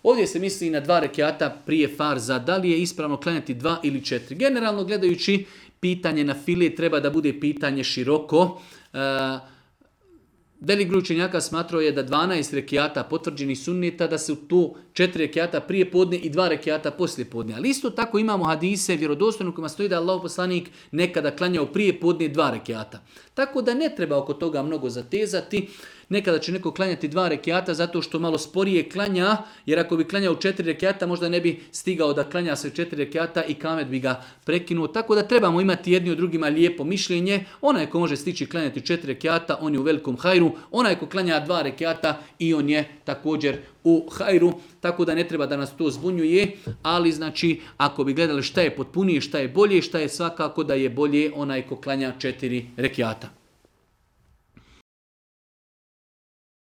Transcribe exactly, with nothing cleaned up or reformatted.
Ovdje se misli na dva rekiata prije farza, da li je ispravno klanjati dva ili četiri. Generalno gledajući, pitanje na file treba da bude pitanje široko. E, Velik broj učenjaka smatrao je da dvanaest rekiata potvrđenih sunneta, da su tu četiri rekiata prije podne i dva rekiata poslije podne. Ali isto tako imamo hadise vjerodostojno kojima stoji da je Allahov poslanik nekada klanjao prije podne dva rekiata. Tako da ne treba oko toga mnogo zatezati. Nekada će neko klanjati dva rekiata zato što malo sporije klanja, jer ako bi klanjao četiri rekiata možda ne bi stigao da klanja sve četiri rekiata i kamet bi ga prekinuo. Tako da trebamo imati jedni od drugima lijepo mišljenje. Onaj ko može stići klanjati četiri rekiata, on je u velikom hajru. Onaj ko klanja dva rekiata i on je također u hajru. Tako da ne treba da nas to zbunjuje, ali znači ako bi gledali šta je potpunije, šta je bolje, šta je svakako da je bolje onaj ko klanja četiri rekiata.